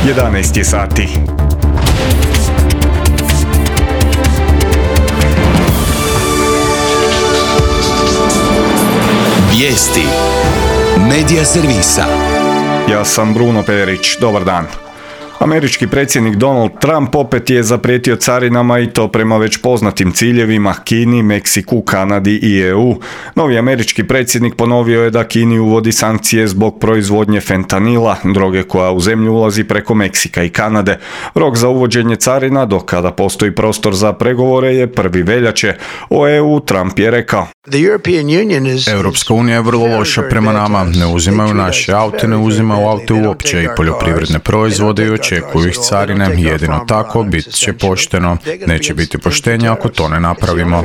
11 je sati. Vijesti Medija servisa. Ja sam Bruno Perić, dobar dan. Američki predsjednik Donald Trump opet je zaprijetio carinama i to prema već poznatim ciljevima Kini, Meksiku, Kanadi i EU. Novi američki predsjednik ponovio je da Kini uvodi sankcije zbog proizvodnje fentanila, droge koja u zemlju ulazi preko Meksika i Kanade. Rok za uvođenje carina, do kada postoji prostor za pregovore, je 1. veljače. O EU Trump je rekao: Europska unija je vrlo loša prema nama, ne uzimaju naše aute, ne uzimaju aute uopće i poljoprivredne proizvode i očekuju ih carine, jedino tako bit će pošteno, neće biti poštenja ako to ne napravimo.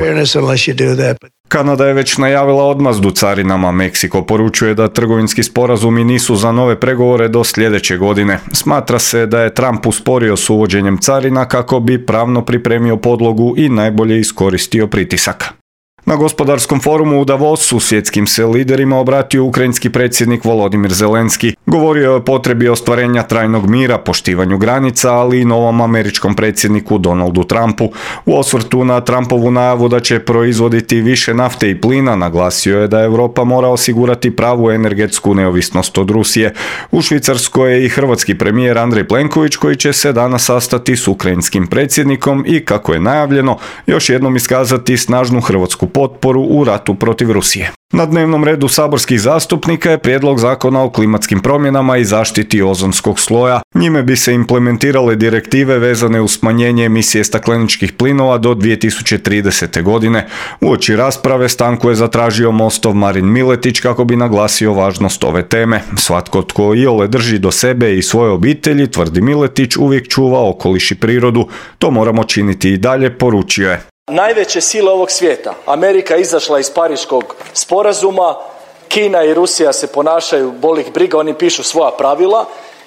Kanada je već najavila odmazdu carinama. Meksiko poručuje da trgovinski sporazumi nisu za nove pregovore do sljedeće godine. Smatra se da je Trump usporio s uvođenjem carina kako bi pravno pripremio podlogu i najbolje iskoristio pritisak. Na gospodarskom forumu u Davosu svjetskim se liderima obratio ukrajinski predsjednik Volodimir Zelenski. Govorio je o potrebi ostvarenja trajnog mira, poštivanju granica, ali i novom američkom predsjedniku Donaldu Trumpu. U osvrtu na Trumpovu najavu da će proizvoditi više nafte i plina, naglasio je da Europa mora osigurati pravu energetsku neovisnost od Rusije. U Švicarskoj je i hrvatski premijer Andrej Plenković, koji će se danas sastati s ukrajinskim predsjednikom i, kako je najavljeno, još jednom iskazati snažnu hrvatsku potporu u ratu protiv Rusije. Na dnevnom redu saborskih zastupnika je prijedlog zakona o klimatskim promjenama i zaštiti ozonskog sloja. Njime bi se implementirale direktive vezane uz smanjenje emisije stakleničkih plinova do 2030. godine. Uoči rasprave stanku je zatražio Mostov Marin Miletić kako bi naglasio važnost ove teme. Svatko tko iole drži do sebe i svoje obitelji, tvrdi Miletić, uvijek čuva okoliš i prirodu. To moramo činiti i dalje, poručio je. Najveće sile ovog svijeta, Amerika izašla iz Pariškog sporazuma, Kina i Rusija se ponašaju, boli ih briga, oni pišu svoja pravila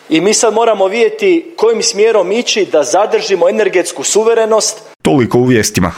i mi sad moramo vidjeti kojim smjerom ići da zadržimo energetsku suverenost. Toliko u vijestima.